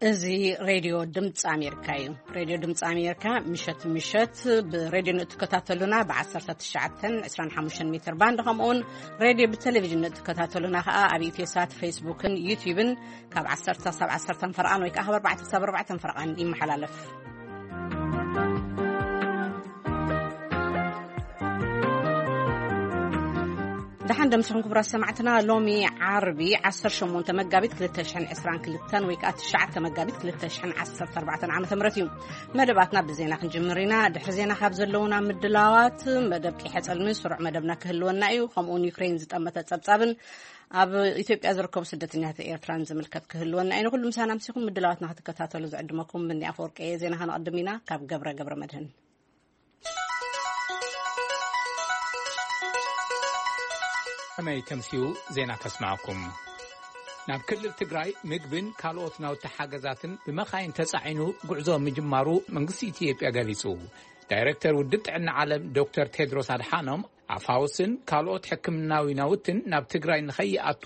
እዚ ሬድዮ ድምፂ ኣሜሪካ እዩ። ሬድዮ ድምፂ ኣሜሪካ ምሸት ምሸት ብሬድዮ ንእትከታተሉና ብ19፣ 25 ሜትር ባንድ፣ ከምኡውን ሬድዮ ብቴሌቪዥን ንእትከታተሉና ከዓ ኣብ ኢትዮሳት፣ ፌስቡክን ዩቲዩብን ካብ 10 ሳብ 10 ፈረቓን ወይ ከዓ ካብ 4 ሳብ 4 ፈረቓን ይመሓላለፍ። ደሓን ደምስኹም ክቡራት ሰማዕትና። ሎሚ ዓርቢ 18 መጋቢት 2022 ወይ ከዓ 9 መጋቢት 2014 ዓ.ም እዩ። መደባትና ብዜና ክንጅምር ኢና። ድሕሪ ዜና ካብ ዘለውና ምድላዋት፣ መደብ ቂሐ ጸልሚ ስሩዕ መደብና ክህልወና እዩ። ከምኡውን ዩክሬን ዝጠመተ ጸብጻብን ኣብ ኢትዮጵያ ዝርከቡ ስደተኛታት ኤርትራን ዝምልከት ክህልወና እዩ። ንኩሉ ምሳና ምሲኹም ምድላዋትና ክትከታተሉ ዝዕድመኩም ብኒ ኣፈወርቂ እየ። ዜና ከነቕድም ኢና። ካብ ገብረ ገብረ መድህን። ከመይ ተምስዩ ዜና ከስማዕኩም። ናብ ክልል ትግራይ ምግብን ካልኦት ናውቲ ሓገዛትን ብመኻይን ተጻዒኑ ጉዕዞ ምጅማሩ መንግስቲ ኢትዮጵያ ገሊጹ። ዳይሬክተር ውድብ ጥዕና ዓለም ዶክተር ቴድሮስ ኣድሓኖም፣ ኣፋውስን ካልኦት ሕክምናዊ ናውትን ናብ ትግራይ ንኸይኣቱ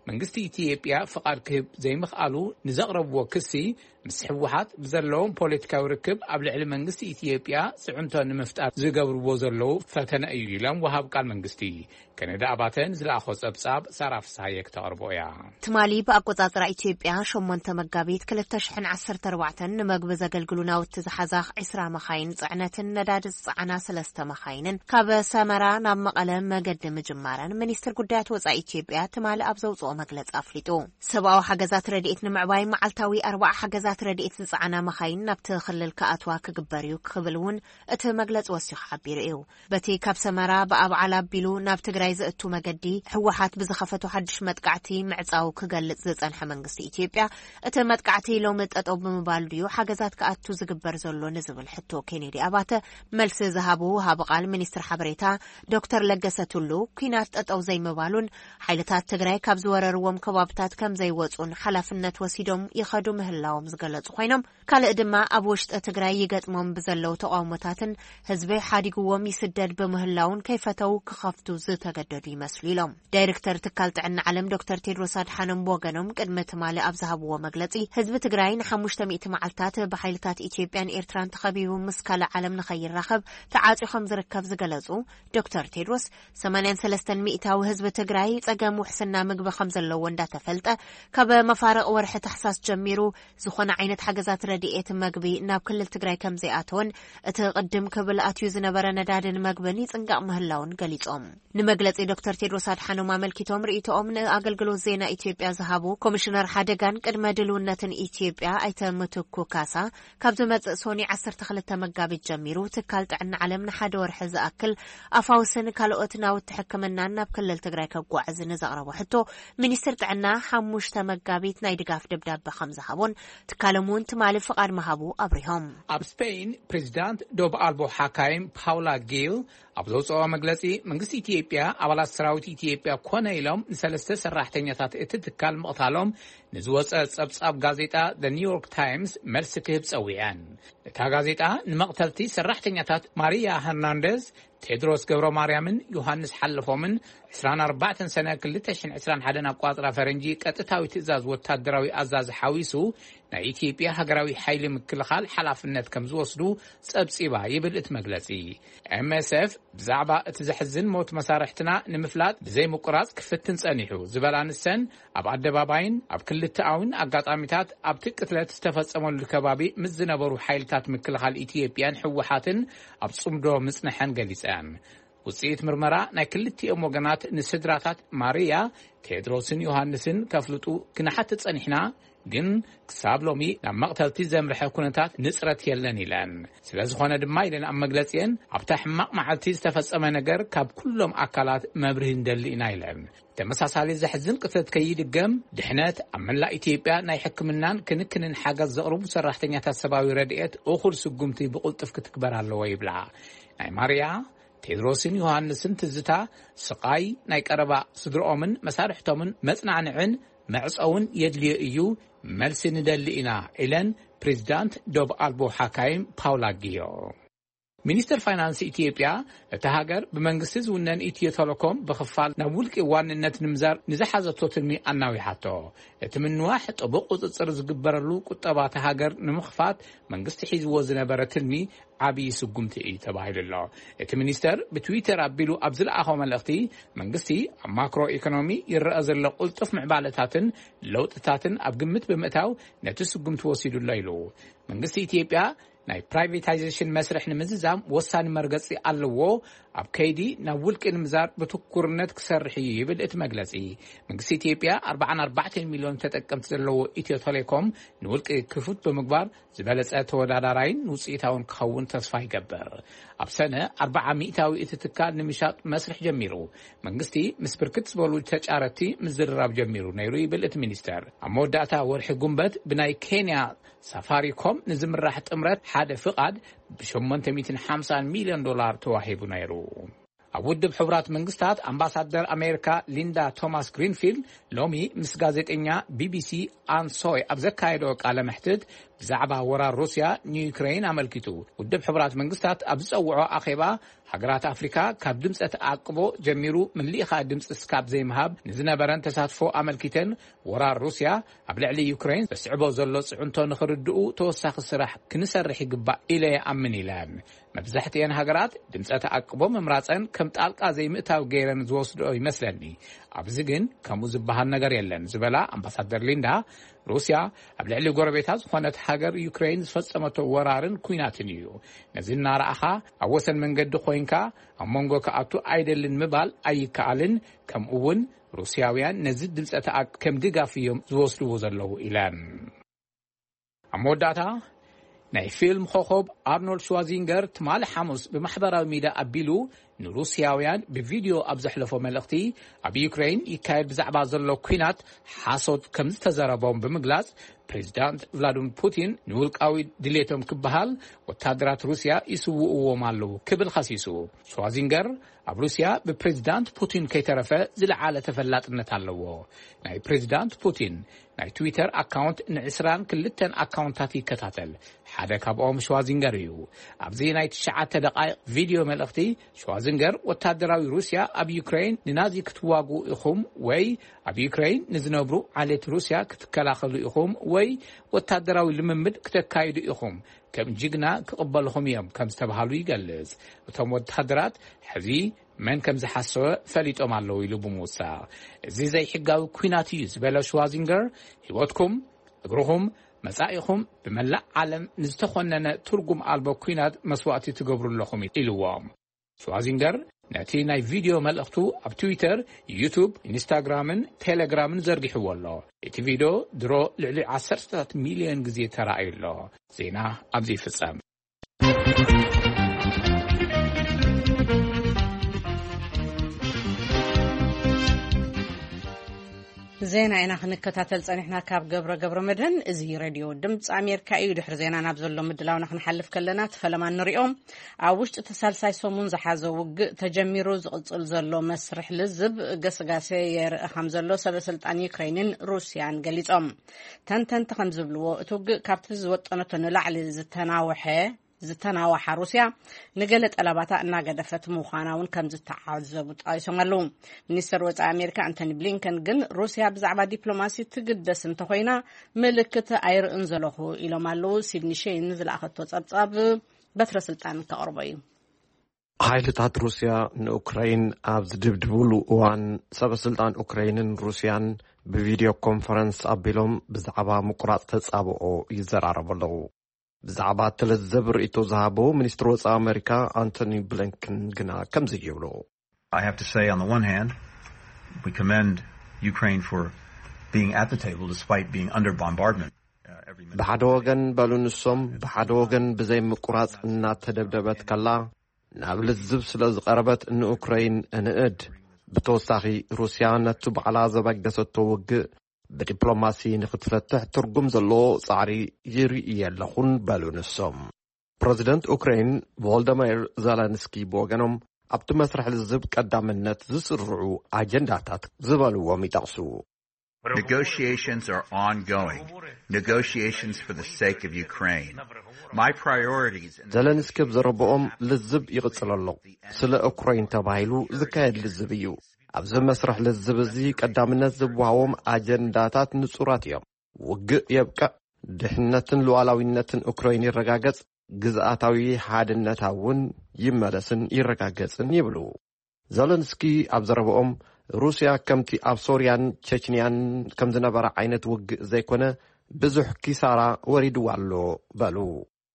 መንግስቲ ኢትዮጵያ ፍቓድ ክህብ ዘይምኽኣሉ ንዘቕረብዎ ክሲ፣ ምስ ህወሓት ብዘለዎም ፖለቲካዊ ርክብ ኣብ ልዕሊ መንግስቲ ኢትዮጵያ ጽዕንቶ ንምፍጣር ዝገብርዎ ዘለዉ ፈተነ እዩ ኢሎም ወሃብ ቃል መንግስቲ። ከነዳ ኣባተ ንዝለኣኾ ጸብጻብ ሳራ ፍስሃየ ክተቕርቦ እያ። ትማሊ ብኣቆጻጽራ ኢትዮጵያ 8 መጋቢት 2014 ንመግቢ ዘገልግሉ ናውቲ ዝሓዛ 20 መኻይን ጽዕነትን ነዳዲ ዝጸዓና ሰለስተ መኻይንን ካብ ሰመራ ናብ መቐለ መገዲ ምጅማረን ሚኒስትር ጉዳያት ወጻኢ ኢትዮጵያ ትማሊ ኣብ ዘውጽኦ መግለጺ ኣፍሊጡ። ሰብኣዊ ሓገዛት ረድኤት ንምዕባይ መዓልታዊ ኣርባዓ ሓገዛት ረድኤት ዝጸዓና መኻይን ናብቲ ክልል ክኣትዋ ክግበር እዩ ክብል እውን እቲ መግለጺ ወሲኹ ሓቢሩ እዩ። በቲ ካብ ሰመራ ብኣብዓላ ኣቢሉ ናብ ትግራይ ዝእቱ መገዲ ህወሓት ብዝኸፈቶ ሓድሽ መጥቃዕቲ ምዕጻው ክገልጽ ዝጸንሐ መንግስቲ ኢትዮጵያ፣ እቲ መጥቃዕቲ ሎሚ ጠጠው ብምባሉ ድዩ ሓገዛት ክኣቱ ዝግበር ዘሎ ንዝብል ሕቶ ኬኔዲ ኣባተ መልሲ ዝሃቡ ወሃቢ ቃል ሚኒስትር ሓበሬታ ዶክተር ለገሰ ቱሉ፣ ኲናት ጠጠው ዘይምባሉን ሓይልታት ትግራይ ካብ ዝወረርዎም ከባብታት ከም ዘይወጹን ሓላፍነት ወሲዶም ይኸዱ ምህላዎም ዝገለጹ ኮይኖም፣ ካልእ ድማ ኣብ ውሽጢ ትግራይ ይገጥሞም ብዘለዉ ተቃውሞታትን ህዝቢ ሓዲግዎም ይስደድ ብምህላውን ከይፈተው ክኸፍቱ ዝተገደዱ ይመስሉ ኢሎም። ዳይሬክተር ትካል ጥዕና ዓለም ዶክተር ቴድሮስ ኣድሓኖም ብወገኖም ቅድሚ ትማሊ ኣብ ዝሃብዎ መግለጺ፣ ህዝቢ ትግራይ ንሓሙሽተ ሚእቲ መዓልታት ብሓይልታት ኢትዮጵያን ኤርትራን ተኸቢቡ ምስ ካልእ ዓለም ንኸይራኸብ ተዓጽዩ ከም ዝርከብ ዝገለጹ ዶክተር ቴድሮስ፣ 83% ህዝቢ ትግራይ ጸገም ውሕስና ምግቢ ከም ዘለዎ እንዳተፈልጠ፣ ካብ መፋርቕ ወርሒ ታሕሳስ ጀሚሩ ዝኾነ ዓይነት ሓገዛት ረድኤት መግቢ ናብ ክልል ትግራይ ከም ዘይኣተወን፣ እቲ ቅድም ክብል ኣትዩ ዝነበረ ነዳድን መግብን ይጽንቀቕ ምህላውን ገሊጾም። ንመግለጺ ዶክተር ቴድሮስ ኣድሓኖም ኣመልኪቶም ርእይቶኦም ንኣገልግሎት ዜና ኢትዮጵያ ዝሃቡ ኮሚሽነር ሓደጋን ቅድመ ድልውነትን ኢትዮጵያ ኣይተ ምትኩ ካሳ፣ ካብ ዝመጽእ ሶኒ 12 መጋቢት ጀሚሩ ትካል ጥዕና ዓለም ንሓደ ወርሒ ዝኣክል ኣፋውስን ካልኦት ናውቲ ሕክምናን ናብ ክልል ትግራይ ከጓዕዝ ንዘቕረቦ ሕቶ፣ ሚኒስትር ጥዕና ሓሙሽተ መጋቢት ናይ ድጋፍ ደብዳበ ከም ዝሃቦን ትካሎም እውን ትማሊ ፍቓድ ምሃቡ ኣብሪሆም። ኣብ ስፔን ፕሬዚዳንት ዶብ ኣልቦ ሓካይም ፓውላ ጊል ኣብ ዘውፅኦ መግለፂ፣ መንግስቲ ኢትዮጵያ ኣባላት ሰራዊት ኢትዮጵያ ኮነ ኢሎም ንሰለስተ ሰራሕተኛታት እቲ ትካል ምቕታሎም ንዝወፀ ፀብፃብ ጋዜጣ ኒውዮርክ ታይምስ መልሲ ክህብ ፀዊዐን። እታ ጋዜጣ ንመቕተልቲ ሰራሕተኛታት ማሪያ ሄርናንደዝ፣ ቴድሮስ ገብረ ማርያምን ዮሃንስ ሓለፎምን 24 ሰነ 2021 ኣቋፅራ ፈረንጂ ቀጥታዊ ትእዛዝ ወታደራዊ ኣዛዚ ሓዊሱ ናይ ኢትዮጵያ ሃገራዊ ሓይሊ ምክልኻል ሓላፍነት ከም ዝወስዱ ጸብጺባ ይብል እቲ መግለጺ። ኤምኤስኤፍ ብዛዕባ እቲ ዘሕዝን ሞት መሳርሕትና ንምፍላጥ ብዘይ ምቁራጽ ክፍትን ጸኒሑ ዝበላ ንሰን፣ ኣብ ኣደባባይን ኣብ ክልተኣውን ኣጋጣሚታት ኣብቲ ቅትለት ዝተፈጸመሉ ከባቢ ምስ ዝነበሩ ሓይልታት ምክልኻል ኢትዮጵያን ህወሓትን ኣብ ጽምዶ ምጽንሐን ገሊጸን። ውጽኢት ምርመራ ናይ ክልቲኦም ወገናት ንስድራታት ማርያ፣ ቴድሮስን ዮሃንስን ከፍልጡ ክንሓትት ጸኒሕና፣ ግን ክሳብ ሎሚ ናብ መቕተልቲ ዘምርሐ ኩነታት ንጽረት የለን ኢለን። ስለ ዝኾነ ድማ ኢለን ኣብ መግለጺአን፣ ኣብታ ሕማቕ መዓልቲ ዝተፈጸመ ነገር ካብ ኩሎም ኣካላት መብርሂ ንደሊ ኢና ኢለን። ተመሳሳሊ ዘሕዝን ቅትለት ከይድገም ድሕነት ኣብ መላእ ኢትዮጵያ ናይ ሕክምናን ክንክንን ሓገዝ ዘቕርቡ ሰራሕተኛታት ሰብኣዊ ረድኤት እኹል ስጉምቲ ብቕልጡፍ ክትግበር ኣለዎ ይብላ። ናይ ማርያ፣ ቴድሮስን ዮሃንስን ትዝታ፣ ስቓይ ናይ ቀረባ ስድርኦምን መሳርሕቶምን መጽናዕንዕን መዕጸውን የድልዮ እዩ፣ መልሲ ንደሊ ኢና ኢለን ፕሬዚዳንት ዶብ ኣልቦ ሓካይም ፓውላ ጊዮ። ሚኒስተር ፋይናንስ ኢትዮጵያ፣ እታ ሃገር ብመንግስቲ ዝውነን ኢትዮ ቴሌኮም ብኽፋል ናብ ውልቂ ዋንነት ንምዛር ንዝሓዘቶ ትልሚ ኣናዊሓቶ። እቲ ምንዋሕ ጥቡቕ ቁጽጽር ዝግበረሉ ቁጠባ እታ ሃገር ንምኽፋት መንግስቲ ሒዝዎ ዝነበረ ትልሚ ዓብዪ ስጉምቲ እዩ ተባሂሉ ኣሎ። እቲ ሚኒስተር ብትዊተር ኣቢሉ ኣብ ዝለኣኾ መልእኽቲ፣ መንግስቲ ኣብ ማክሮ ኢኮኖሚ ይረኣ ዘሎ ቅልጡፍ ምዕባለታትን ለውጥታትን ኣብ ግምት ብምእታው ነቲ ስጉምቲ ወሲዱ ኣሎ ኢሉ። መንግስቲ ኢትዮጵያ ናይ ፕራይቬታይዜሽን መስርሕ ንምዝዛም ወሳኒ መርገጺ ኣለዎ። ኣብ ከይዲ ናብ ውልቂ ንምዛር ብትኩርነት ክሰርሕ እዩ ይብል እቲ መግለጺ። መንግስቲ ኢትዮጵያ ኣርባዓን ኣርባዕተን ሚልዮን ተጠቀምቲ ዘለዎ ኢትዮ ቴሌኮም ንውልቂ ክፉት ብምግባር ዝበለጸ ተወዳዳራይን ውጽኢታውን ክኸውን ተስፋ ይገብር። ኣብ ሰነ ኣርባዓ ሚእታዊ እቲ ትካል ንምሻጥ መስርሕ ጀሚሩ። መንግስቲ ምስ ብርክት ዝበሉ ተጫረቲ ምዝርራብ ጀሚሩ ነይሩ ይብል እቲ ሚኒስተር። ኣብ መወዳእታ ወርሒ ጉንበት ብናይ ኬንያ ሳፋሪኮም ንዝምራሕ ጥምረት ሓደ ፍቓድ ብ850 ሚልዮን ዶላር ተዋሂቡ ነይሩ። ኣብ ውድብ ሕቡራት መንግስታት ኣምባሳደር ኣሜሪካ ሊንዳ ቶማስ ግሪንፊልድ ሎሚ ምስ ጋዜጠኛ ቢቢሲ ኣን ሶይ ኣብ ዘካየዶ ቃለ መሕትት፣ ብዛዕባ ወራር ሩስያ ንዩክሬን ኣመልኪቱ፣ ውድብ ሕቡራት መንግስታት ኣብ ዝጸውዖ ኣኼባ፣ ሃገራት ኣፍሪካ ካብ ድምፀ ተኣቅቦ ጀሚሩ ምልኢኻ ድምፂ ስካብ ዘይምሃብ ንዝነበረን ተሳትፎ ኣመልኪተን፣ ወራር ሩስያ ኣብ ልዕሊ ዩክሬን ዘስዕቦ ዘሎ ጽዕንቶ ንኽርድኡ ተወሳኺ ስራሕ ክንሰርሕ ይግባእ ኢለ ይኣምን ኢለን። መብዛሕትኤን ሃገራት ድምፀ ተኣቅቦ ምምራፀን ከም ጣልቃ ዘይምእታው ገይረን ዝወስድኦ ይመስለኒ። ኣብዚ ግን ከምኡ ዝበሃል ነገር የለን ዝበላ ኣምባሳደር ሊንዳ፣ ሩስያ ኣብ ልዕሊ ጎረቤታ ዝኾነት ሃገር ዩክሬን ዝፈጸመቶ ወራርን ኲናትን እዩ። ነዚ እናረኣኻ ኣብ ወሰን መንገዲ ኮይንካ ኣብ መንጎ ክኣቱ ኣይደልን ምባል ኣይከኣልን። ከምኡ እውን ሩስያውያን ነዚ ድምፀ ተኣቅ ከም ድጋፍ እዮም ዝወስድዎ ዘለዉ ኢለን። ኣብ መወዳእታ ናይ ፊልም ኮኸብ ኣርኖልድ ሽዋዚንገር ትማሊ ሓሙስ ብማሕበራዊ ሚድያ ኣቢሉ ንሩስያውያን ብቪድዮ ኣብ ዘሕለፎ መልእኽቲ፣ ኣብ ዩክሬን ይካየድ ብዛዕባ ዘሎ ኲናት ሓሶት ከም ዝተዘረቦም ብምግላጽ፣ ፕሬዚዳንት ቭላድሚር ፑቲን ንውልቃዊ ድሌቶም ክበሃል ወታደራት ሩስያ ይስውእዎም ኣለዉ ክብል ኸሲሱ። ሽዋዚንገር ኣብ ሩስያ ብፕሬዚዳንት ፑቲን ከይተረፈ ዝለዓለ ተፈላጥነት ኣለዎ። ናይ ፕሬዚዳንት ፑቲን ናይ ትዊተር ኣካውንት ን22 ኣካውንታት ይከታተል። ሓደ ካብኦም ሽዋዚንገር እዩ። ኣብዚ ናይ ትሽዓተ ደቓይቕ ቪድዮ መልእኽቲ፣ ሽዋዚንገር ወታደራዊ ሩስያ ኣብ ዩክሬን ንናዚ ክትዋጉ ኢኹም ወይ ኣብ ዩክሬን ንዝነብሩ ዓሌት ሩስያ ክትከላኸሉ ኢኹም ወይ ወታደራዊ ልምምድ ክተካይዱ ኢኹም፣ ከም ጅግና ክቕበልኹም እዮም ከም ዝተባሃሉ ይገልጽ። እቶም ወታደራት ሕዚ መን ከም ዝሓሰወ ፈሊጦም ኣለዉ ኢሉ ብምውሳኽ፣ እዚ ዘይሕጋዊ ኲናት እዩ ዝበለ ሽዋዚንገር፣ ህይወትኩም፣ እግርኹም፣ መጻኢኹም ብመላእ ዓለም ንዝተኾነነ ትርጉም ኣልቦ ኲናት መስዋእቲ ትገብሩ ኣለኹም ኢልዎም። ሽዋዚንገር ነቲ ናይ ቪድዮ መልእኽቱ ኣብ ትዊተር፣ ዩቱብ፣ ኢንስታግራምን ቴሌግራምን ዘርጊሕዎ ኣሎ። እቲ ቪድዮ ድሮ ልዕሊ ዓሰርተታት ሚልዮን ግዜ ተራእዩ ኣሎ። ዜና ኣብዚ ይፍጸም። ዜና ኢና ክንከታተል ጸኒሕና ካብ ገብረ ገብረ መድህን። እዚ ሬድዮ ድምፂ ኣሜሪካ እዩ። ድሕሪ ዜና ናብ ዘሎ ምድላውና ክንሓልፍ ከለና፣ እቲ ፈለማ ንሪኦ። ኣብ ውሽጢ እቲ ሳልሳይ ሰሙን ዝሓዘ ውግእ ተጀሚሩ ዝቕፅል ዘሎ መስርሕ ልዝብ ገስጋሴ የርኢ ከም ዘሎ ሰበ ስልጣን ዩክሬንን ሩስያን ገሊፆም። ተንተንቲ ከም ዝብልዎ፣ እቲ ውግእ ካብቲ ዝወጠነቶ ንላዕሊ ዝተናወሐ ዝተናዋሓ ሩስያ፣ ንገለ ጠለባታ እናገደፈት ምዃና እውን ከም ዝተዓዘቡ ጠቒሶም ኣለዉ። ሚኒስተር ወፃኢ ኣሜሪካ ኣንቶኒ ብሊንከን ግን፣ ሩስያ ብዛዕባ ዲፕሎማሲ ትግደስ እንተኾይና፣ ምልክት ኣይርእን ዘለኹ ኢሎም ኣለዉ። ሲድኒ ሼን ዝለኣኸቶ ጸብጻብ በትረ ስልጣን ከቕርቦ እዩ። ሓይልታት ሩስያ ንኡክራይን ኣብ ዝድብድብሉ እዋን፣ ሰበ ስልጣን ኡክራይንን ሩስያን ብቪድዮ ኮንፈረንስ ኣቢሎም ብዛዕባ ምቁራጽ ተጻብኦ ይዘራረቡ ኣለዉ። ብዛዕባ እቲ ለዘብ ርእይቶ ዝሃቡ ሚኒስትሪ ወጻኢ ኣመሪካ ኣንቶኒ ብሊንከን ግና ከምዚ ይብሉ። I have to say, on the one hand, we commend Ukraine for being at the table despite being under bombardment. Uh, every minute. ብሓደ ወገን በሉ ንሶም፣ ብሓደ ወገን ብዘይ ምቁራጽ እናተደብደበት ከላ ናብ ልዝብ ስለ ዝቐረበት ንኡክረይን እንእድ። ብተወሳኺ፣ ሩስያ ነቲ ባዕላ ዘበገሰቶ ውግእ ብዲፕሎማሲ ንኽትፈትሕ ትርጉም ዘለዎ ጻዕሪ ይርኢ ኣለኹን በሉ ንሶም። ፕረዚደንት ኡክረይን ቮልደሚር ዘለንስኪ ብወገኖም፣ ኣብቲ መስርሕ ልዝብ ቀዳምነት ዝስርዑ ኣጀንዳታት ዝበልዎም ይጠቕሱ። Negotiations are ongoing. Negotiations for the sake of Ukraine. My priorities in ዘለንስኪ ኣብ ዘረብኦም ልዝብ ይቕጽል ኣሎ። ስለ ኡክራይን ተባሂሉ ዝካየድ ልዝብ እዩ። ኣብዚ መስርሕ ልዝብ እዚ ቀዳምነት ዝወሃቦም ኣጀንዳታት ንጹራት እዮም። ውግእ የብቅዕ፣ ድሕነትን ሉዓላዊነትን ኡክራይን ይረጋገጽ፣ ግዝኣታዊ ሓድነታ እውን ይመለስን ይረጋገጽን ይብሉ። ዘለንስኪ ኣብ ዘረብኦም፣ ሩስያ ከምቲ ኣብ ሶርያን ቸችንያን ከም ዝነበረ ዓይነት ውግእ ዘይኮነ፣ ብዙሕ ኪሳራ ወሪድዋ ኣሎ በሉ።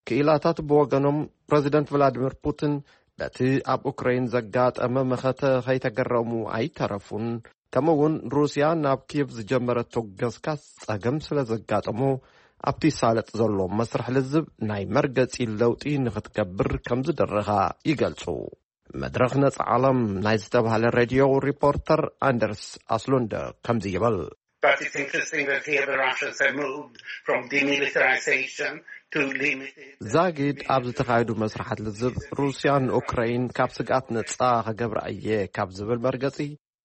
ክኢላታት ብወገኖም፣ ፕረዚደንት ቭላዲሚር ፑቲን በቲ ኣብ ኡክራይን ዘጋጠመ መኸተ ከይተገረሙ ኣይተረፉን። ከምኡ እውን ሩስያ ናብ ኪየቭ ዝጀመረቶ ገስጋስ ጸገም ስለ ዘጋጠሞ፣ ኣብቲ ሳለጥ ዘሎ መስርሕ ልዝብ ናይ መርገጺ ለውጢ ንኽትገብር ከም ዝደረኻ ይገልጹ። መድረኽ ነጻ ዓለም ናይ ዝተባህለ ሬድዮ ሪፖርተር ኣንደርስ ኣስሉንደ ከምዚ ይብል። But it's interesting that here the Russians have moved from demilitarization to limited. ዛጊድ ኣብ ዝተኻየዱ መስርሓት ልዝብ፣ ሩስያ ንኡክራይን ካብ ስግኣት ነጻ ከገብራ እየ ካብ ዝብል መርገጺ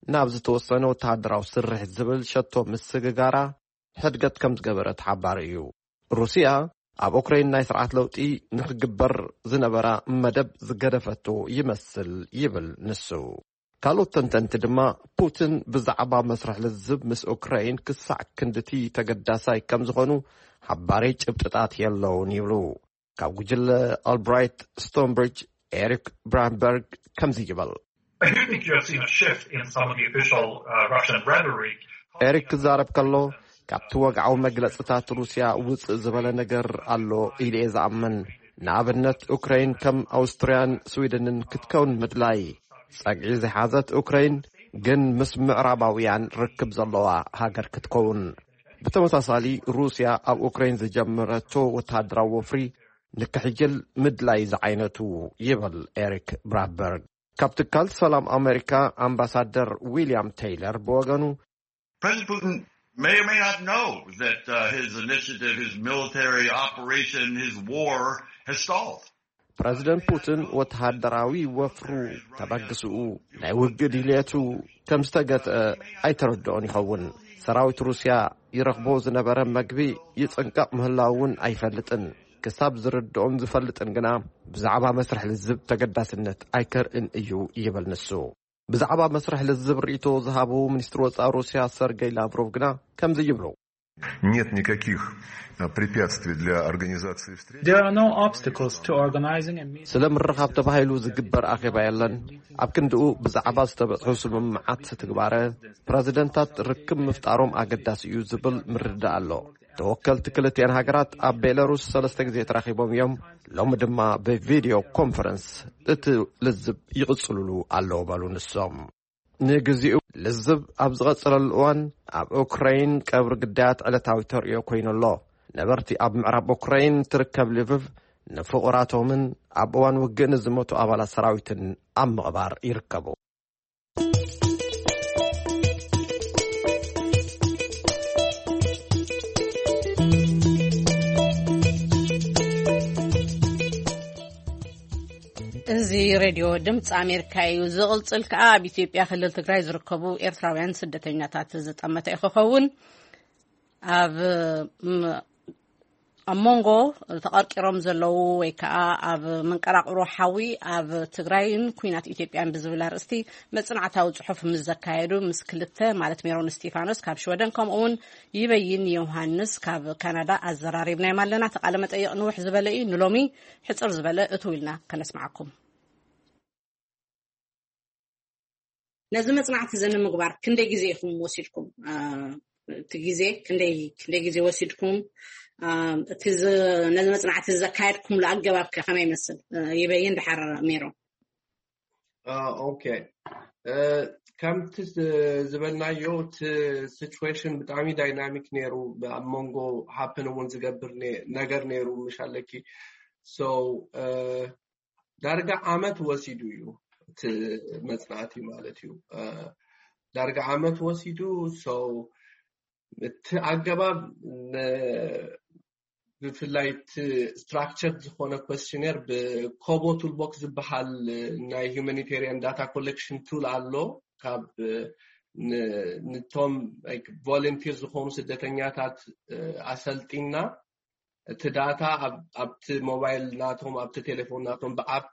ናብ ዝተወሰነ ወተሃደራዊ ስርሒት ዝብል ሸቶ ምስግጋራ ሕድገት ከም ዝገበረት ሓባሪ እዩ። ሩስያ ኣብ ኡክራይን ናይ ስርዓት ለውጢ ንክግበር ዝነበራ መደብ ዝገደፈቶ ይመስል ይብል ንሱ። ካልኦት ተንተንቲ ድማ፣ ፑቲን ብዛዕባ መስርሕ ልዝብ ምስ ኡክራይን ክሳዕ ክንድቲ ተገዳሳይ ከም ዝኾኑ ሓባሪ ጭብጥታት የለውን ይብሉ። ካብ ጉጅለ ኣልብራይት ስቶንብሪጅ ኤሪክ ብራምበርግ ከምዚ ይበል። I do think you have seen a shift in some of the official uh, Russian rhetoric. ኤሪክ ክዛረብ ከሎ፣ ካብቲ ወግዓዊ መግለጽታት ሩስያ ውጽእ ዝበለ ነገር ኣሎ ኢለ እየ ዝኣምን። ንኣብነት፣ ኡክራይን ከም ኣውስትርያን ስዊድንን ክትከውን ምድላይ፣ ጸግዒ ዝሓዘት ኡክራይን ግን ምስ ምዕራባውያን ርክብ ዘለዋ ሃገር ክትከውን። ብተመሳሳሊ፣ ሩስያ ኣብ ኡክራይን ዝጀመረቶ ወተሃደራዊ ወፍሪ ንክሕይል ምድላይ ዝዓይነቱ፣ ይብል ኤሪክ ብራምበርግ። ካብ ትካል ሰላም ኣሜሪካ ኣምባሳደር ዊልያም ቴይለር ብወገኑ፣ President Putin may or may not know that uh, his initiative, his military operation, his war has stalled. ፕረዚደንት ፑቲን ወተሃደራዊ ወፍሩ፣ ተበግስኡ፣ ናይ ውግእ ድልየቱ ከም ዝተገትአ ኣይተረድኦን ይኸውን። ሰራዊት ሩስያ ይረኽቦ ዝነበረ መግቢ ይጽንቀቕ ምህላው እውን ኣይፈልጥን። ክሳብ ዝርድኦን ዝፈልጥን ግና ብዛዕባ መስርሕ ልዝብ ተገዳስነት ኣይከርእን እዩ ይብል ንሱ። ብዛዕባ መስርሕ ልዝብ ርእይቶ ዝሃቡ ሚኒስትሪ ወጻኢ ሩስያ ሰርገይ ላቭሮቭ ግና ከምዚ ይብሉ። Нет никаких а, препятствий для организации встречи. There are no obstacles to organizing a meeting. ስለ ምርኻብ ተባሂሉ ዝግበር ኣኼባ የለን። ኣብ ክንድኡ ብዛዕባ ዝተበጽሑ ስምምዓት ትግባረ ፕረዚደንታት ርክብ ምፍጣሮም ኣገዳሲ እዩ ዝብል ምርዳእ ኣሎ። ተወከልቲ ክልቲኣን ሃገራት ኣብ ቤላሩስ ሰለስተ ግዜ ተራኺቦም እዮም። ሎሚ ድማ ብቪድዮ ኮንፈረንስ እቲ ልዝብ ይቕጽልሉ ኣለዉ በሉ ንሶም። ንግዚኡ ልዝብ ኣብ ዝቐጸለሉ እዋን ኣብ ኡክራይን ቀብሪ ግዳያት ዕለታዊ ተርእዮ ኮይኑ ኣሎ። ነበርቲ ኣብ ምዕራብ ኡክራይን ትርከብ ልቭቭ ንፍቑራቶምን ኣብ እዋን ውግእ ንዝሞቱ ኣባላት ሰራዊትን ኣብ ምቕባር ይርከቡ። እዚ ሬድዮ ድምፂ ኣሜሪካ እዩ። ዝቕፅል ከዓ ኣብ ኢትዮጵያ ክልል ትግራይ ዝርከቡ ኤርትራውያን ስደተኛታት ዝጠመተ እዩ ክኸውን። ኣብ ኣብ መንጎ ተቐርቂሮም ዘለዉ ወይ ከዓ ኣብ መንቀራቕሮ ሓዊ ኣብ ትግራይን ኩናት ኢትዮጵያን ብዝብል ኣርእስቲ መጽናዕታዊ ጽሑፍ ምስ ዘካየዱ ምስ ክልተ ማለት ሜሮን እስቲፋኖስ ካብ ሽወደን ከምኡ እውን ይበይን ዮሃንስ ካብ ካናዳ ኣዘራሪብናዮም ኣለና። ተቃለ መጠይቕ ንውሕ ዝበለ እዩ። ንሎሚ ሕጽር ዝበለ እትው ኢልና ከነስምዓኩም። ነዚ መጽናዕቲ እዚ ንምግባር ክንደይ ግዜ ኢኹም ወሲድኩም? እቲ ግዜ ክንደይ ክንደይ ግዜ ወሲድኩም? እቲ ነዚ መጽናዕቲ ዘካየድኩምሉ ኣገባብ ከ ከመይ ይመስል? ይበይን ድሓር ሜሮ። ኦኬ፣ ከምቲ ዝበልናዮ እቲ ሲቹዌሽን ብጣዕሚ ዳይናሚክ ነይሩ። ኣብ መንጎ ሃፕን እውን ዝገብር ነገር ነይሩ ምሽ ኣለኪ። ሶ ዳርጋ ዓመት ወሲዱ እዩ እቲ መፅናዕቲ ማለት እዩ። ዳርጋ ዓመት ወሲዱ። So እቲ ኣገባብ ብፍላይ እቲ ስትራክቸር ዝኾነ ኮስሽነር ብኮቦ ቱልቦክስ ዝበሃል ናይ ሁማኒቴሪያን ዳታ ኮሌክሽን ቱል ኣሎ። ካብ ንቶም ቮለንቲር ዝኾኑ ስደተኛታት ኣሰልጢና፣ እቲ ዳታ ኣብቲ ሞባይል ናቶም፣ ኣብቲ ቴሌፎን ናቶም ብኣፕ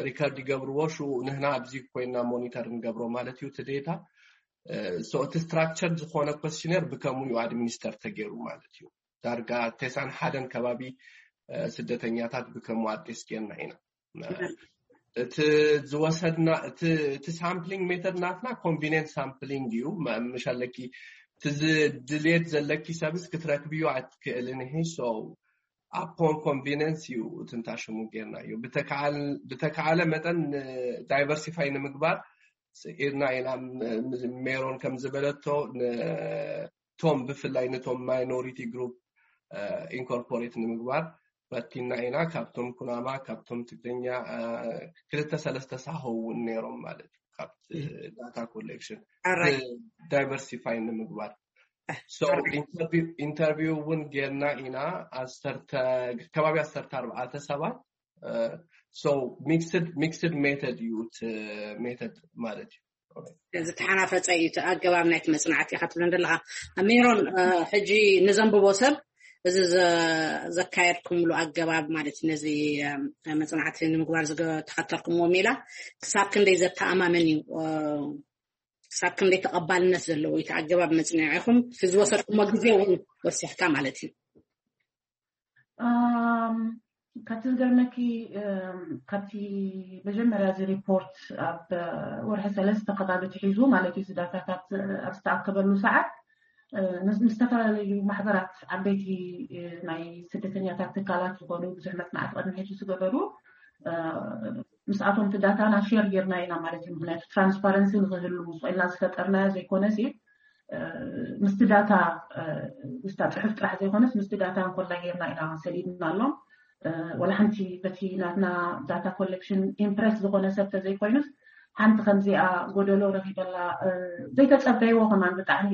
ሪከርድ ይገብርዎ። ሽኡ ንህና ኣብዚ ኮይና ሞኒተር ንገብሮ ማለት እዩ። እቲ ዴታ እቲ ስትራክቸር ዝኾነ ኮስሽነር ብከምኡ እዩ ኣድሚኒስተር ተገይሩ ማለት እዩ። ዳርጋ ተሳን ሓደን ከባቢ ስደተኛታት ብከምኡ ኣድሬስ ጌርና ኢና። እቲ ዝወሰድና እቲ ሳምፕሊንግ ሜተድ ናትና ኮንቪኒንስ ሳምፕሊንግ እዩ። ምሻለኪ እቲ ድልየት ዘለኪ ሰብስ ክትረክብዮ ኣትክእልን። ይሄ ሶ ኣፖን ኮንቪኒንስ እዩ። እቲ እንታ ሽሙ ጌርና እዩ። ብተካዓለ መጠን ዳይቨርሲፋይ ንምግባር ኢድና ኢና። ሜሮን ከም ዝበለቶ፣ ቶም ብፍላይ ነቶም ማይኖሪቲ ግሩፕ ኢንኮርፖሬት ንምግባር ፈቲና ኢና። ካብቶም ኩናማ፣ ካብቶም ትግርኛ ክልተ ሰለስተ ሳሆ እውን ነይሮም ማለት እዩ። ካብቲ ዳታ ኮሌክሽን ዳይቨርሲፋይ ንምግባር ኢንተርቪው እውን ጌርና ኢና። ከባቢ ዓሰርተ ኣርባዕተ ሰባት። ሚክስድ ሜተድ እዩ እቲ ሜተድ ማለት እዩ። ዝተሓናፈፀ እዩ እቲ ኣገባብ ናይቲ መፅናዕቲ ኢኻ ትብለን ዘለኻ። ሜሮን፣ ሕጂ ንዘንብቦ ሰብ እዚ ዘካየድኩምሉ ኣገባብ ማለት እዩ፣ ነዚ መፅናዕቲ ንምግባር ዝተኸተልኩምዎ ሜላ ክሳብ ክንደይ ዘተኣማመን እዩ፣ ክሳብ ክንደይ ተቐባልነት ዘለዎ እዩ እቲ ኣገባብ መፅናዕቲኹም፣ እቲ ዝወሰድኩሞ ግዜ እውን ወሲኽካ ማለት እዩ። ካብቲ ዝገርመኪ፣ ካብቲ መጀመርያ እዚ ሪፖርት ኣብ ወርሒ ሰለስተ ከባቢ ትሒዙ ማለት እዩ፣ እዚ ዳታታት ኣብ ዝተኣከበሉ ሰዓት ምስ ዝተፈላለዩ ማሕበራት፣ ዓበይቲ ናይ ስደተኛታት ትካላት ዝኾኑ ብዙሕ መፅናዕቲ ቅድሚ ሕጂ ዝገበሩ፣ ምስኣቶም እቲ ዳታና ሼር ጌርና ኢና ማለት እዩ። ምክንያቱ ትራንስፓረንሲ ንክህሉ ስቆልና ዝፈጠርናዮ ዘይኮነ ሲ ምስቲ ዳታ፣ ምስታ ፅሑፍ ጥራሕ ዘይኮነስ ምስቲ ዳታ እንኮላ ጌርና ኢና ሰዲድናሎም። ወላ ሓንቲ በቲ ናትና ዳታ ኮሌክሽን ኢምፕረስ ዝኾነ ሰብ ተዘይኮይኑስ ሓንቲ ከምዚኣ ጎደሎ ረኺበላ ዘይተፀበይዎ ከማን ብጣዕሚ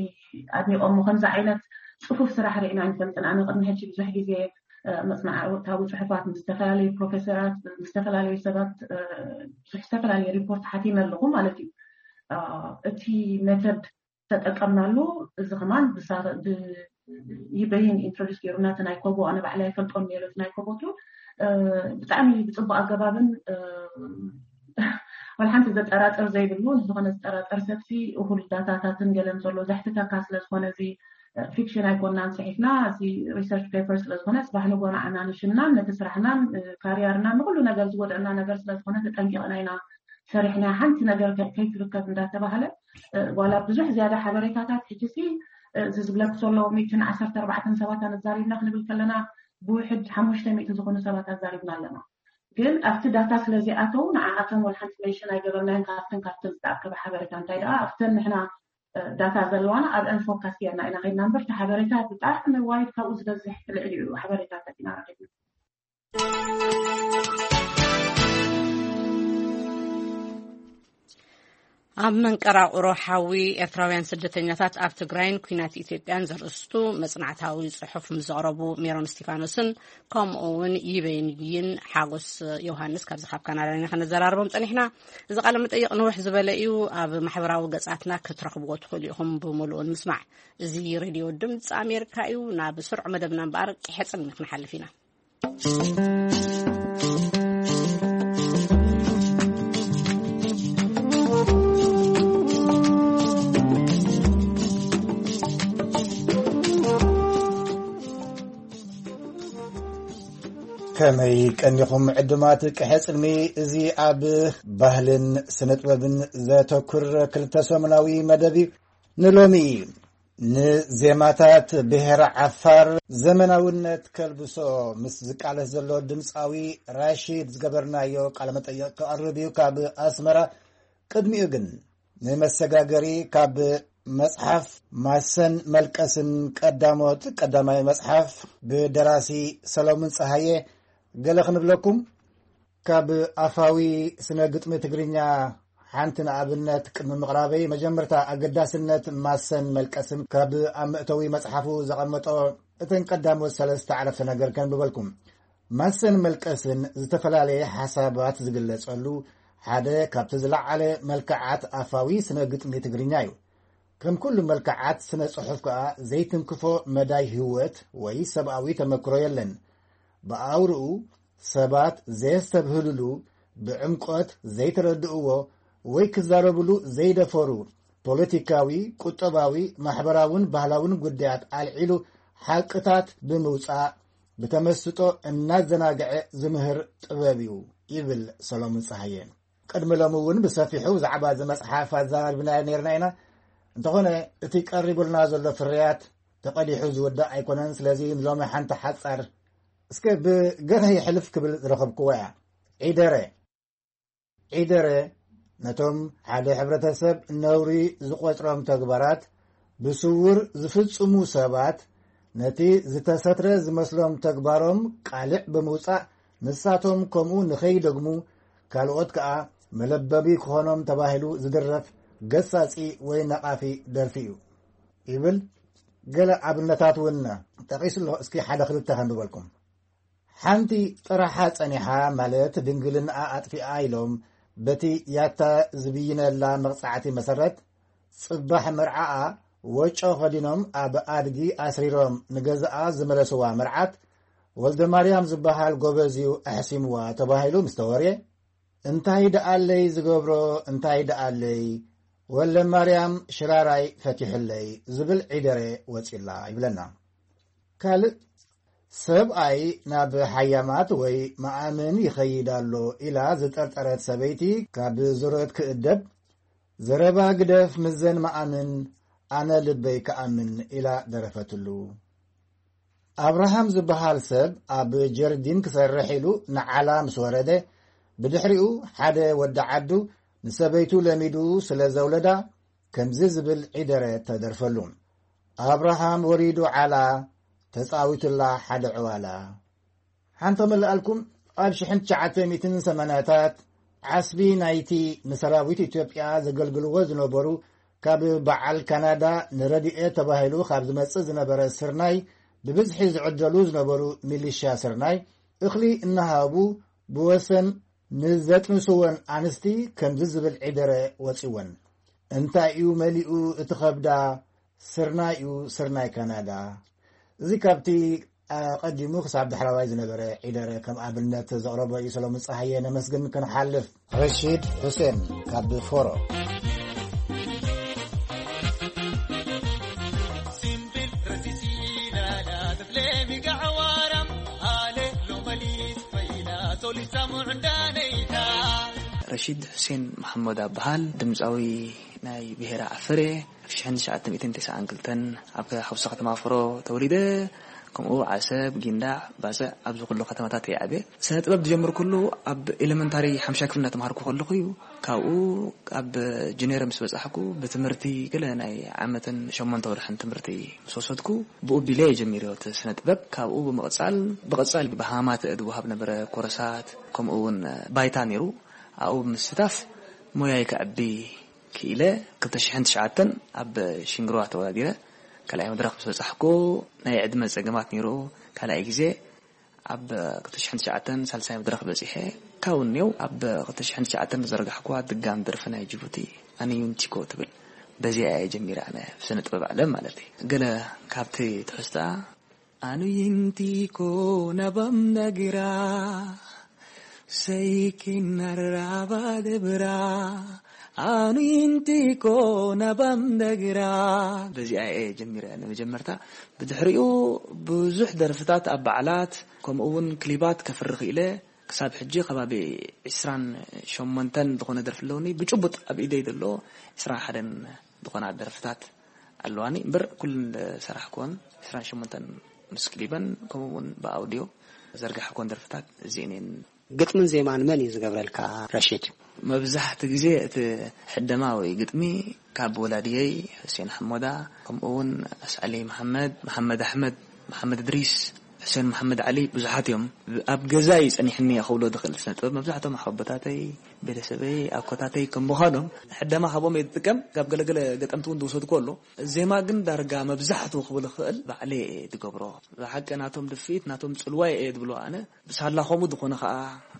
ኣድኒቆሞ። ከምዚ ዓይነት ፅፉፍ ስራሕ ርኢና ኣይንፈልጥን። ኣነ ቅድሚ ሕጂ ብዙሕ ግዜ መፅናዕታዊ ፅሑፋት ምስ ዝተፈላለዩ ፕሮፌሰራት፣ ምስ ዝተፈላለዩ ሰባት ብዙሕ ዝተፈላለየ ሪፖርት ሓቲመ ኣለኹ ማለት እዩ። እቲ ሜተድ ተጠቀምናሉ። እዚ ከማን ይበይን ኢንትሮዲስ ገይሩና እቲ ናይ ኮቦ፣ ኣነ ባዕላ ይፈልጦን ነይረ እቲ ናይ ኮቦ ቱ ብጣዕሚ ብፅቡቅ ኣገባብን ወላ ሓንቲ ዘጠራጥር ዘይብሉ፣ ዝኾነ ዝጠራጠር ሰብሲ እኹል ዳታታትን ገለን ዘሎ ዘሕትተካ ስለ ዝኾነ እዚ ፊክሽን ኣይኮናን ፅሒፍና፣ እዚ ሪሰርች ፔፐር ስለ ዝኾነ ፅባሕ ንጎ ንዓና ንሽምናን ነቲ ስራሕናን ካሪያርናን ንኩሉ ነገር ዝጎደእና ነገር ስለ ዝኾነ ተጠንቂቕና ኢና ሰሪሕና። ሓንቲ ነገር ከይትርከብ እንዳተባህለ ዋላ ብዙሕ ዝያዳ ሓበሬታታት ሕጂ ሲ እዚ ዝብለክ ዘሎ ሚእትን ዓሰርተ ኣርባዕተን ሰባት ኣዛሪብና ክንብል ከለና ብውሕድ ሓሙሽተ ሚእቲ ዝኾኑ ሰባት ኣዛሪብና ኣለና። ግን ኣብቲ ዳታ ስለዚኣተው ንዓኣቶም ወላ ሓንቲ ሜንሽን ኣይገበርናዮን። ካብተን ካብተን ዝተኣከበ ሓበሬታ እንታይ ደኣ ኣብተን ንሕና ዳታ ዘለዋና ኣብአን ፎካስ ጌርና ኢና ከይድና እምበር እቲ ሓበሬታ ብጣዕሚ ዋይድ ካብኡ ዝበዝሕ ልዕሊኡ ሓበሬታታት ኢና ረኺብና። ኣብ መንቀራቕሮ ሓዊ ኤርትራውያን ስደተኛታት ኣብ ትግራይን ኲናት ኢትዮጵያን ዘርእስቱ መጽናዕታዊ ጽሑፍ ምስ ዘቕረቡ ሜሮን እስቲፋኖስን ከምኡ እውን ይበይንይን ሓጎስ ዮሃንስ ካብዚ ካብ ካናዳ ኢና ከነዘራርቦም ጸኒሕና። እዚ ቃለ መጠይቕ ንውሕ ዝበለ እዩ። ኣብ ማሕበራዊ ገጻትና ክትረኽብዎ ትኽእሉ ኢኹም ብምሉኡ ንምስማዕ። እዚ ሬድዮ ድምፂ ኣሜሪካ እዩ። ናብ ስሩዕ መደብና እምበኣር ቂሐ ጽልሚ ክንሓልፍ ኢና። ከመይ ቀኒኹም ዕዱማት ቅሐ ጽልሚ? እዚ ኣብ ባህልን ስነ ጥበብን ዘተኩር ክልተ ሰሙናዊ መደብ እዩ። ንሎሚ ንዜማታት ብሄረ ዓፋር ዘመናውነት ከልብሶ ምስ ዝቃለስ ዘሎ ድምፃዊ ራሺድ ዝገበርናዮ ቃለ መጠይቕ ክቐርብ እዩ ካብ ኣስመራ። ቅድሚኡ ግን ንመሰጋገሪ ካብ መጽሓፍ ማሰን መልቀስን ቀዳሞት ቀዳማይ መጽሓፍ ብደራሲ ሰሎሙን ጸሃየ ገለ ክንብለኩም። ካብ ኣፋዊ ስነ ግጥሚ ትግርኛ ሓንቲ ንኣብነት ቅድሚ ምቕራበይ፣ መጀመርታ ኣገዳስነት ማሰን መልቀስን ካብ ኣብ መእተዊ መጽሓፉ ዘቐመጦ እተን ቀዳሞት ሰለስተ ዓረፍተ ነገር ከንብበልኩም። ማሰን መልቀስን ዝተፈላለየ ሓሳባት ዝግለጸሉ ሓደ ካብቲ ዝለዓለ መልክዓት ኣፋዊ ስነ ግጥሚ ትግርኛ እዩ። ከም ኩሉ መልክዓት ስነ ጽሑፍ ከኣ ዘይትንክፎ መዳይ ህይወት ወይ ሰብኣዊ ተመክሮ የለን። ብኣውርኡ ሰባት ዘየስተብህልሉ፣ ብዕምቆት ዘይተረድእዎ ወይ ክዛረብሉ ዘይደፈሩ ፖለቲካዊ፣ ቁጠባዊ፣ ማሕበራውን ባህላውን ጉዳያት ኣልዒሉ ሓቅታት ብምውጻእ ብተመስጦ እናዘናግዐ ዝምህር ጥበብ እዩ ይብል ሰሎሙን ጸሃየ። ቅድሚ ሎሚ እውን ብሰፊሑ ብዛዕባ እዚ መጽሓፍ ኣዘራሪብና ነርና ኢና። እንተኾነ እቲ ቀሪቡልና ዘሎ ፍርያት ተቐዲሑ ዝውዳእ ኣይኮነን። ስለዚ ንሎሚ ሓንቲ ሓጻር እስከ ብገርህ ይሕልፍ ክብል ዝረኸብክዎ እያ። ዒደረ። ዒደረ ነቶም ሓደ ሕብረተሰብ ነውሪ ዝቖጽሮም ተግባራት ብስውር ዝፍጽሙ ሰባት፣ ነቲ ዝተሰትረ ዝመስሎም ተግባሮም ቃልዕ ብምውጻእ፣ ንሳቶም ከምኡ ንኸይደግሙ፣ ካልኦት ከኣ መለበቢ ክኾኖም ተባሂሉ ዝድረፍ ገሳጺ ወይ ነቓፊ ደርፊ እዩ ይብል። ገለ ኣብነታት እውን ጠቒሱ ኣሎ። እስኪ ሓደ ክልተ ከንብበልኩም። ሓንቲ ጥራሓ ጸኒሓ፣ ማለት ድንግልንኣ ኣጥፊኣ ኢሎም በቲ ያታ ዝብይነላ መቕጻዕቲ መሰረት፣ ጽባሕ መርዓኣ ወጮ ከዲኖም ኣብ ኣድጊ ኣስሪሮም ንገዛኣ ዝመለስዋ መርዓት፣ ወልደ ማርያም ዝበሃል ጎበዝ እዩ ኣሕሲምዋ ተባሂሉ ምስ ተወርየ፣ እንታይ ደኣለይ ዝገብሮ፣ እንታይ ደኣለይ፣ ወልደ ማርያም ሽራራይ ፈቲሑለይ ዝብል ዒደረ ወጺላ ይብለና። ካልእ፣ ሰብኣይ ናብ ሓያማት ወይ መኣምን ይኸይድ ኣሎ ኢላ ዝጠርጠረት ሰበይቲ ካብ ዙረት ክእደብ፣ ዘረባ ግደፍ፣ ምዘን መኣምን፣ ኣነ ልበይ ክኣምን ኢላ ደረፈትሉ። ኣብርሃም ዝበሃል ሰብ ኣብ ጀርዲን ክሰርሕ ኢሉ ንዓላ ምስ ወረደ፣ ብድሕሪኡ ሓደ ወዲ ዓዱ ንሰበይቱ ለሚዱ ስለ ዘውለዳ፣ ከምዚ ዝብል ዒደረ ተደርፈሉ። ኣብርሃም ወሪዱ ዓላ፣ ተጻዊቱላ ሓደ ዕዋላ። ሓንቲ ክምልኣልኩም፣ ኣብ ሽሕን ትሽዓተ ሚእትን ሰማንያታት ዓስቢ ናይቲ ንሰራዊት ኢትዮጵያ ዘገልግልዎ ዝነበሩ፣ ካብ በዓል ካናዳ ንረድኤት ተባሂሉ ካብ ዝመጽእ ዝነበረ ስርናይ ብብዝሒ ዝዕደሉ ዝነበሩ ሚሊሻ ስርናይ፣ እኽሊ እናሃቡ ብወሰን ንዘጥንስወን ኣንስቲ ከምዚ ዝብል ዒደረ ወጺወን። እንታይ እዩ መሊኡ እቲ ከብዳ? ስርናይ እዩ፣ ስርናይ ካናዳ። እዚ ካብቲ ኣቐዲሙ ክሳብ ዳሕረዋይ ዝነበረ ዒደረ ከም ኣብነት ዘቕረቦ እዩ ሰሎሙን ጸሃየ። ነመስግን። ክንሓልፍ፣ ረሺድ ሁሴን ካብ ፎሮ። ረሺድ ሁሴን መሓመድ ኣብሃል፣ ድምፃዊ ናይ ብሄረ ዓፈር እየ። ኣብ ሽሕን ትሽዓተ ሚእትን ተስዓን ክልተን ኣብ ሓውሲ ከተማ ፍሮ ተወሊደ። ከምኡ ዓሰብ፣ ጊንዳዕ፣ ባጽዕ፣ ኣብዚ ኩሉ ከተማታት እየ ዓብየ። ስነ ጥበብ ዝጀመርኩሉ ኣብ ኤሌመንታሪ ሓምሻይ ክፍሊ እናተምሃርኩ ከለኹ እዩ። ካብኡ ኣብ ጁኒየር ምስ በጻሕኩ ብትምህርቲ ገለ ናይ ዓመትን ሸሞንተ ወርሕን ትምህርቲ ምስ ወሰድኩ ብኡ ቢለ እየ ጀሚረ እቲ ስነ ጥበብ። ካብኡ ብምቕጻል ብቐጻል ብሃማት ዝወሃብ ነበረ ኮርሳት ከምኡ እውን ባይታ ነይሩ። ኣብኡ ብምስታፍ ሞያይ ከዕቢ ክኢለ። ክልተ ሽሕን ትሽዓተን ኣብ ሽንግርዋ ተወዳዲረ ካልኣይ መድረኽ ምስ በጻሕኩ ናይ ዕድመ ጸገማት ነይሩ። ካልኣይ ግዜ ኣብ ክልተ ሽሕን ትሽዓተን ሳልሳይ መድረኽ በጺሐ። ካብኡ እኒው ኣብ ክልተ ሽሕን ትሽዓተን ዝዘርጋሕኩዋ ድጋም ደርፊ ናይ ጅቡቲ ኣነ ዩንቲኮ ትብል በዚኣ እየ ጀሚረ ኣነ ብስነ ጥበብ ዓለም ማለት እዩ። ገለ ካብቲ ትሕዝቶኣ ኣኑ ይንቲኮ ናባም ነግራ ሰይኪን ናራባ ደብራ ኣኑ ይንቲኮ ናባም ነግራ በዚኣ እየ ጀሚረ ንመጀመርታ። ብድሕሪኡ ብዙሕ ደርፍታት ኣብ በዓላት ከምኡ እውን ክሊባት ከፍሪ ክኢለ። ክሳብ ሕጂ ከባቢ ዕስራን ሸሞንተን ዝኾነ ደርፊ ኣለውኒ። ብጭቡጥ ኣብ ኢደይ ዘሎ ዕስራን ሓደን ዝኾና ደርፍታት ኣለዋኒ እምበር ኩለን ዝሰራሕኩወን ዕስራን ሸሞንተን ምስ ክሊበን ከምኡ እውን ብኣውድዮ ዘርጋሕኩወን ደርፍታት እዚኤን እየን። ግጥምን ዜማን መን እዩ ዝገብረልካ ረሺድ? መብዛሕቲ ግዜ እቲ ሕደማ ወይ ግጥሚ ካብ ወላድየይ ሕሴን ሓሞዳ ከምኡ እውን ኣስዓሊ መሓመድ፣ መሓመድ ኣሕመድ፣ መሓመድ እድሪስ፣ ሕሴን መሓመድ ዓሊ ብዙሓት እዮም። ኣብ ገዛ እዩ ጸኒሕኒ እየ ክብሎ ዝኽእል። ስነ ጥበብ መብዛሕቶም ኣቦታተይ፣ ቤተሰበይ፣ ኣኮታተይ ከም ምዃኖም ሕደማ ካብኦም እየ ዝጥቀም። ካብ ገለገለ ገጠምቲ እውን ዝወሰድኩ ኣሎ። ዜማ ግን ዳርጋ መብዛሕቱ ክብል እኽእል ባዕለይ እየ ዝገብሮ። ብሓቂ ናቶም ድፍኢት ናቶም ጽልዋይ እየ ዝብሎ ኣነ። ብሳላ ከምኡ ዝኾነ ኸኣ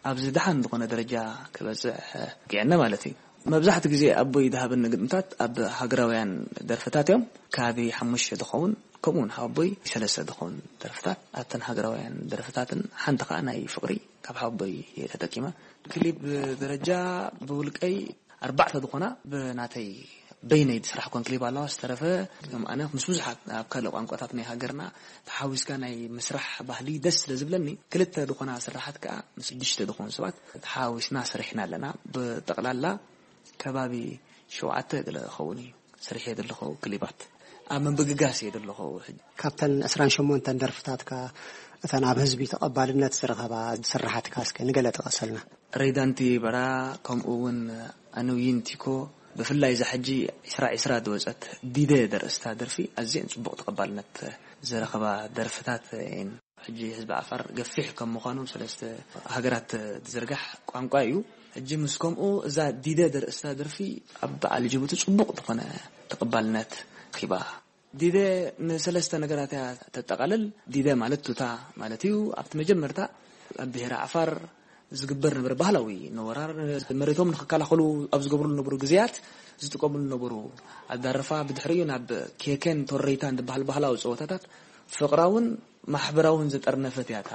ኣብዚ ደሓን ዝኾነ ደረጃ ክበጽሕ በቂዐና ማለት እዩ። መብዛሕትኡ ግዜ ኣቦይ ዝሃበኒ ግጥምታት ኣብ ሃገራውያን ደርፍታት እዮም። ከባቢ ሓሙሽተ ዝኸውን፣ ከምኡ እውን ሓወቦይ ሰለስተ ዝኸውን ደርፍታት ኣብተን ሃገራውያን ደርፍታትን ሓንቲ ከዓ ናይ ፍቕሪ ካብ ሓወቦይ እየ ተጠቂመ። ክሊፕ ደረጃ ብውልቀይ ኣርባዕተ ዝኾና ብናተይ በይነይ ዝስራሕ ኮን ክሊፕ ኣለዋ። ዝተረፈ ከም ኣነ ምስ ብዙሓት ኣብ ካልእ ቋንቋታት ናይ ሃገርና ተሓዊስካ ናይ ምስራሕ ባህሊ ደስ ስለ ዝብለኒ፣ ክልተ ዝኾና ስራሓት ከዓ ምስ ሽዱሽተ ዝኾኑ ሰባት ተሓዊስና ሰሪሕና ኣለና። ብጠቕላላ ከባቢ ሸውዓተ ገለ ክኸውን እዩ ሰሪሐ ዘለኹ ክሊባት። ኣብ ምብግጋስ እየ ዘለኹ ሕጂ። ካብተን ዕስራን ሸሞንተን ደርፍታትካ እተን ኣብ ህዝቢ ተቐባልነት ዝረኸባ ስራሓትካ እስከ ንገለ ጥቀሰልና። ሬዳንቲ በራ፣ ከምኡ እውን ኣንውይን ቲኮ፣ ብፍላይ እዛ ሕጂ ዕስራ ዕስራ ዝወፀት ዲደ ዘርእስታ ደርፊ ኣዝየን ፅቡቕ ተቐባልነት ዝረኸባ ደርፍታት እየን። ሕጂ ህዝቢ ዓፋር ገፊሕ ከም ምዃኑ ሰለስተ ሃገራት ዝዝርጋሕ ቋንቋ እዩ። ሕጂ ምስ ከምኡ እዛ ዲደ ዘርእስታ ደርፊ ኣብ በዓል ጅቡቲ ጽቡቕ ዝኾነ ተቐባልነት ኺባ። ዲደ ንሰለስተ ነገራት እያ ተጠቓልል። ዲደ ማለት ቱታ ማለት እዩ። ኣብቲ መጀመርታ ኣብ ብሄረ ዓፋር ዝግበር ነበረ ባህላዊ ነወራር፣ መሬቶም ንኽከላኸሉ ኣብ ዝገብሩሉ ነበሩ ግዜያት ዝጥቀሙሉ ነበሩ ኣዳርፋ። ብድሕሪኡ ናብ ኬኬን ቶረይታን ዝበሃል ባህላዊ ጸወታታት ፍቕራውን ማሕበራውን ዝጠርነፈት እያ እታ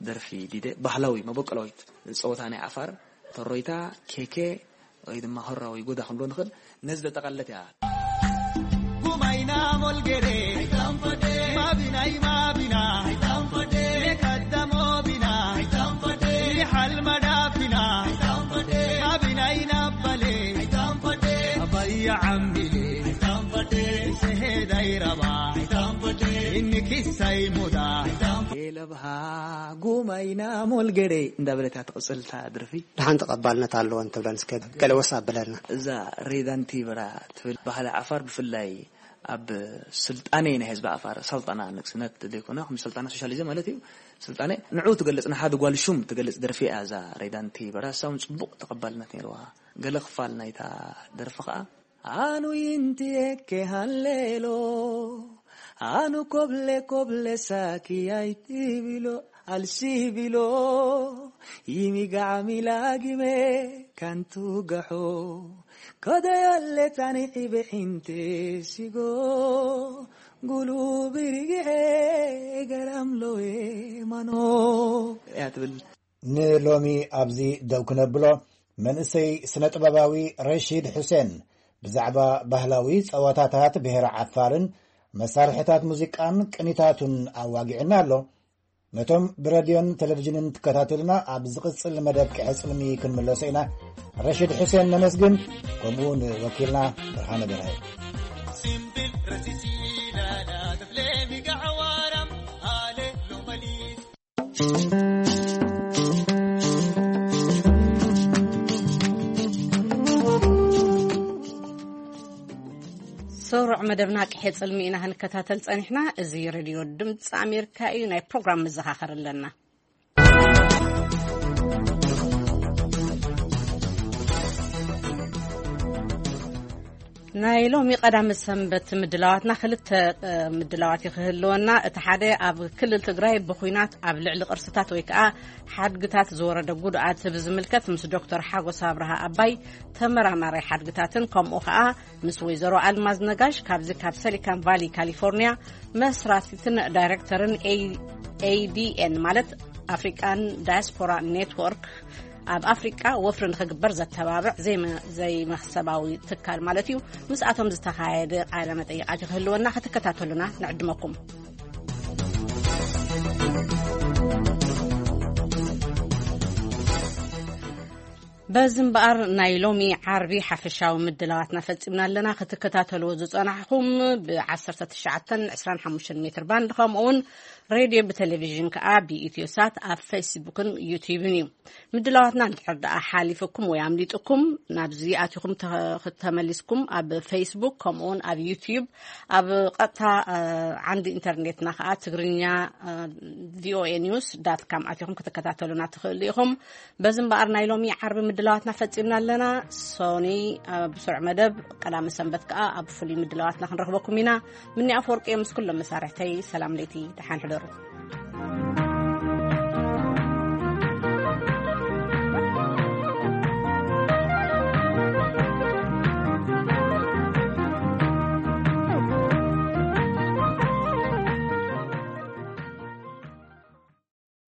ደርፊ ዲደ። ባህላዊ መበቆላዊት ጸወታ ናይ ዓፋር፣ ተሮይታ፣ ኬኬ ወይ ድማ ሆራ ወይ ጎዳ ክንብሎ ንኽእል፣ ነዚ ዘጠቓለለት እያ። ጉማይና ሞልጌሬ፣ ማቢናይ ማቢና፣ ሜካዳሞ ቢና፣ ይሓል መዳፊና፣ ማቢናይ ናባሌ፣ ባያ ዓሚሌ፣ ሰሄዳይ ረባ፣ ኢንኪሳይ ሙዳ፣ ኤለብሃ ጉማይና ሞልጌሬ እንዳበለት እያ ትቕጽል እታ ደርፊ። ደሓን ተቐባልነት ኣለወን ትብለን እስከ ገለ ወስ ኣብለና። እዛ ሬዳንቲ በራ ትብል ባህሊ ዓፋር ብፍላይ ኣብ ስልጣኔ ናይ ህዝቢ ዓፋር፣ ሰልጠና ንግስነት ዘይኮነ፣ ከም ሰልጠና ሶሻሊዝም ማለት እዩ። ስልጣኔ ንዑ ትገልጽ፣ ንሓደ ጓል ሹም ትገልጽ ደርፊ እያ እዛ ሬዳንቲ በራ። እሳ እውን ጽቡቕ ተቐባልነት ነይርዋ። ገለ ክፋል ናይታ ደርፊ ኸኣ ኣኑ ይንትየኬ ሃሌሎ፣ ኣኑ ኮብለ ኮብለ ሳኪ ኣይትቢሎ፣ ኣልሲቢሎ፣ ይሚጋዕሚ ላጊመ ካንቱ ገሖ፣ ከደዮለ ታኒዒ ብሒንቴ ሲጎ፣ ጉሉ ብሪግሔ ገራምሎዌ ማኖ እያ ትብል። ንሎሚ ኣብዚ ደው ክነብሎ፣ መንእሰይ ስነ-ጥበባዊ ረሺድ ሑሴን ብዛዕባ ባህላዊ ጸዋታታት ብሄረ ዓፋርን መሳርሕታት ሙዚቃን ቅኒታቱን ኣዋጊዑና ኣሎ። ነቶም ብረድዮን ቴሌቪዥንን ትከታተሉና፣ ኣብ ዝቕጽል መደብ ቅሐ ጽልሚ ክንምለሶ ኢና። ረሺድ ሑሴን ነመስግን፣ ከምኡ ንወኪልና ብርሃነ በርሀ። ሰሩዕ መደብና ቅሐ ጽልሚ ኢና ክንከታተል ጸኒሕና። እዚ ሬድዮ ድምፂ ኣሜሪካ እዩ። ናይ ፕሮግራም መዘኻኸር ኣለና። ናይ ሎሚ ቀዳሚ ሰንበት ምድላዋትና ክልተ ምድላዋት ክህልወና። እቲ ሓደ ኣብ ክልል ትግራይ ብኹናት ኣብ ልዕሊ ቅርስታት ወይ ከዓ ሓድግታት ዝወረደ ጉድኣት ብዝምልከት ምስ ዶክተር ሓጎስ ኣብርሃ ኣባይ ተመራማሪ ሓድግታትን ከምኡ ከዓ ምስ ወይዘሮ ኣልማዝ ነጋሽ ካብዚ ካብ ሰሊካን ቫሊ ካሊፎርኒያ መስራቲትን ዳይሬክተርን ኤዲኤን ማለት ኣፍሪካን ዳያስፖራ ኔትወርክ ኣብ ኣፍሪቃ ወፍሪ ንኽግበር ዘተባብዕ ዘይመኽሰባዊ ትካል ማለት እዩ። ምስኣቶም ዝተኻየደ ቃለ መጠይቃት ክህልወና ክትከታተሉና ንዕድመኩም። በዚ እምበኣር ናይ ሎሚ ዓርቢ ሓፈሻዊ ምድላዋትና ፈጺምና ኣለና። ክትከታተልዎ ዝጸናሕኹም ብ19 25 ሜትር ባንድ ከምኡውን ሬድዮ ብቴሌቪዥን ከኣ ብኢትዮ ሳት ኣብ ፌስቡክን ዩትዩብን እዩ። ምድላዋትና እንድሕር ደኣ ሓሊፍኩም ወይ ኣምሊጥኩም ናብዚ ኣቲኹም ተመሊስኩም ኣብ ፌስቡክ ከምኡውን ኣብ ዩትዩብ ኣብ ቀጥታ ዓንዲ ኢንተርኔትና ከኣ ትግርኛ ቪኦኤ ኒውስ ዳት ካም ኣቲኹም ክትከታተሉና ትኽእሉ ኢኹም። በዚ እምበኣር ናይ ሎሚ ዓርቢ ምድላዋትና ፈጺምና ኣለና። ሶኒ ኣብ ስሩዕ መደብ፣ ቀዳመ ሰንበት ከኣ ኣብ ፍሉይ ምድላዋትና ክንረኽበኩም ኢና። ምኒ ኣፈወርቂ ምስ ኩሎም መሳርሕተይ ሰላም ለይቲ፣ ደሓን ሕደሩ።